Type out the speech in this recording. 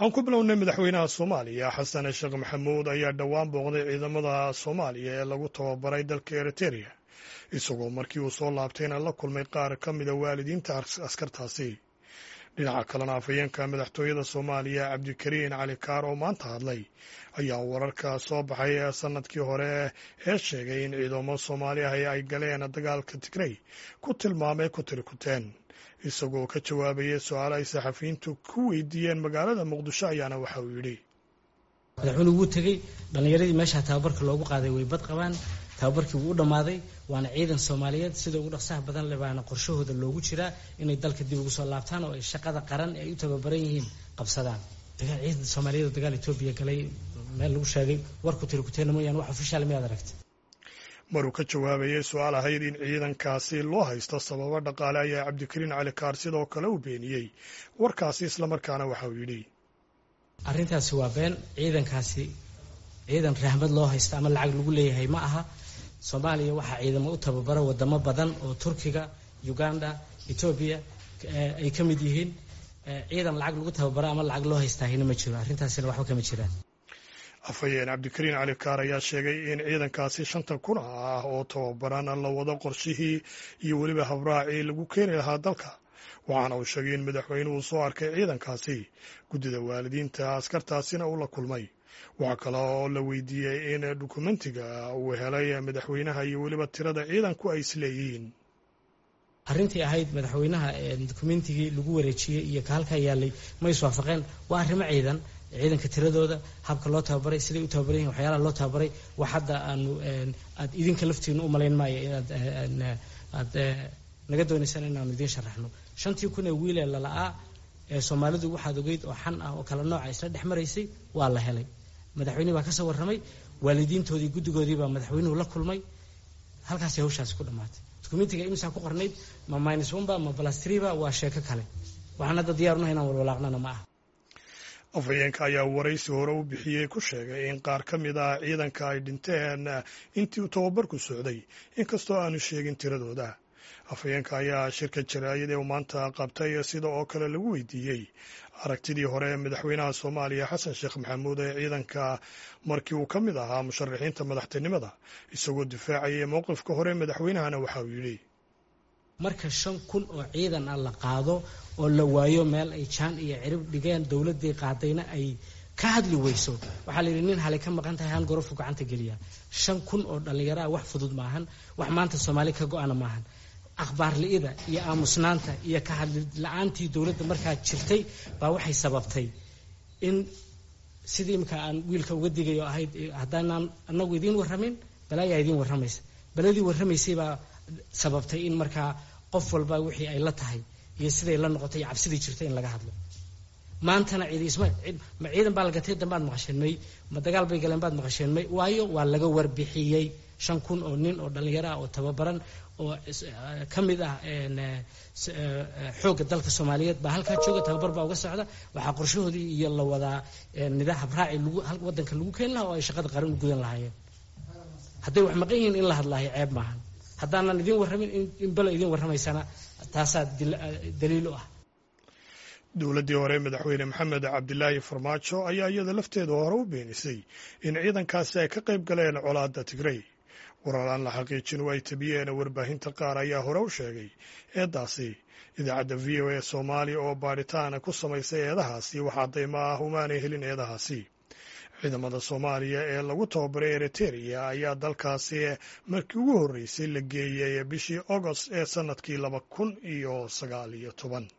Aan ku bilownay, madaxweynaha Soomaaliya Xasan Sheekh Maxamuud ayaa dhowaan booqday ciidamada Soomaaliya ee lagu tababaray dalka Eritereya, isagoo markii uu soo laabtayna la kulmay qaar ka mida waalidiinta askartaasi. Dhinaca kalena, afhayeenka madaxtooyada Soomaaliya Cabdikariin Cali Kaar oo maanta hadlay ayaa wararka soo baxay ee sanadkii hore ee sheegay in ciidamo Soomaali ah ay galeen dagaalka Tigrey ku tilmaamay kutirikuteen. Isagoo ka jawaabayay su-aalo ay saxafiyiintu ku weydiiyeen magaalada Muqdisho ayaana waxa uu yidhi: Madaxweynuhu wuu tegey. Dhallinyaradii meesha tababarka loogu qaaday way bad qabaan. Tababarkii wuu u dhammaaday, waana ciidan Soomaaliyeed. Sida ugu dhaqsaha badan le baana qorshahooda loogu jiraa inay dalka dib ugu soo laabtaan oo ay shaqada qaran ee ay u tababaran yihiin qabsadaan. Dagaal ciidan Soomaaliyeed oo dagaal Etoobiya galay meel lagu sheegay warku tirikuteena mooyaane, wax official miyaad aragtay? Maruu ka jawaabayay su-aal ahayd in ciidankaasi loo haysto sababo dhaqaale ayaa Cabdikariin Cali Kaar sidoo kale u beeniyey warkaasi, islamarkaana waxa uu yidhi: Arrintaasi waa been. Ciidankaasi ciidan rahmad loo haysto ama lacag lagu leeyahay ma aha. Soomaaliya waxaa ciidamo u tababara wadamo badan oo Turkiga, Uganda, Etoobiya ay ka mid yihiin. Ciidan lacag lagu tababaro ama lacag loo haystaahina ma jiro. Arrintaasina waxba kama jiraan. Afhayeen Cabdikariin Cali Kaar ayaa sheegay in ciidankaasi 5000 ah oo tababaran la wado qorshihii iyo weliba habraacii lagu keeni lahaa dalka, waxaana uu sheegay in madaxweynuhu soo arkay ciidankaasi, guddida waalidiinta askartaasina uu la kulmay. Waxaa kale oo la weydiiyey in dukumentiga uu helay madaxweynaha iyo weliba tirada ciidanku ay isleeyihiin. Arrintii ahayd madaxweynaha dukumentigii lagu wareejiyey iyo ka halkaa yaalay ma iswaafaqeen, waa arrimo ciidan. Ciidanka tiradooda, habka loo tababaray, siday u tababaran yihin, waxyaalaha loo tababaray, wax hadda aanu aad idinka laftiinu u malayn maayo inaad aad naga doonaysaan inaanu idiin sharaxno. 5000 ee wiilee lala'aa ee Soomaalidu waxaad ogeyd oo xan ah oo kala nooca isla dhex maraysay waa la helay. Madaxweynihi baa ka soo warramay, waalidiintoodii guddigoodii baa madaxweynuhu la kulmay. Halkaasay hawshaasi ku dhammaatay. Dukumentiga imsaa ku qornayd, ma minus one ba ma plus three ba, waa sheeko kale. Waxaan hadda diyaar unahay inaan walwalaaqnana ma aha. Afhayeenka ayaa waraysi hore u bixiyey ku sheegay in qaar ka mid ah ciidanka ay dhinteen intii uu tababarku socday, inkastoo aanu sheegin tiradooda. Afhayeenka ayaa shirka jaraa'id ee uu maanta qabtay sida oo kale lagu weydiiyey aragtidii hore ee madaxweynaha Soomaaliya Xasan Sheekh Maxamuud ee ciidanka markii uu ka mid ahaa musharaxiinta madaxtinimada. Isagoo difaacayay mowqifka hore madaxweynahana waxa uu yidhi: Marka 5000 oo ciidan ah la qaado oo la waayo meel ay jaan iyo cirib dhigeen, dowladdii qaadayna ay ka hadli weyso, waxaa la yidhi nin halay ka maqan tahay han gorofu gacanta geliya. 5000 oo dhallinyaro ah wax fudud maahan, wax maanta Soomaali ka go-ana maahan. Akhbaar li'ida iyo aamusnaanta iyo ka hadli la-aantii dowladda markaa jirtay baa waxay sababtay in sidii imika aan wiilka uga digayo ahayd, haddaanaan anagu idiin warramin balaayaa idiin warramaysa. Baladii warramaysay baa sababtay in markaa qof walba wixii ay la tahay iyo siday la noqotay iyo cabsidii jirtay in laga hadlo. Maantana cidi isma ma ciidan baa la gatay dambaad maqasheen may, ma dagaal bay galeen baad maqasheen may, waayo waa laga warbixiyey. 5000 oo nin oo dhallinyaro ah oo tababaran oo ka mid ah xoogga dalka Soomaaliyeed baa halkaa jooga, tababar baa uga socda. Waxaa qorshahoodii iyo la wadaa nidaam habraaci lagu waddanka lagu keeni lahaa oo ay shaqada qaran u gudan lahaayeen. Hadday wax maqan yihiin in la hadlaayo ceeb maahan. Haddaanan idiin warramin in belo idiin warramaysana taasaa daliil u ah. Dowladdii hore madaxweyne Maxamed Cabdilaahi Farmaajo ayaa iyada lafteeda hore u beenisay in ciidankaasi ay ka qayb galeen colaadda Tigrey. Warar aan la xaqiijin oo ay tabiyeen warbaahinta qaar ayaa hore u sheegay eedaasi. Idaacadda VOA Soomaaliya oo baadhitaan ku samaysay eedahaasi wax caddaymo ah umaanay helin eedahaasi. Ciidamada Soomaaliya ee lagu tababaray Eritereya ayaa dalkaasi markii ugu horreysay la geeyey bishii Agost ee sannadkii 2019.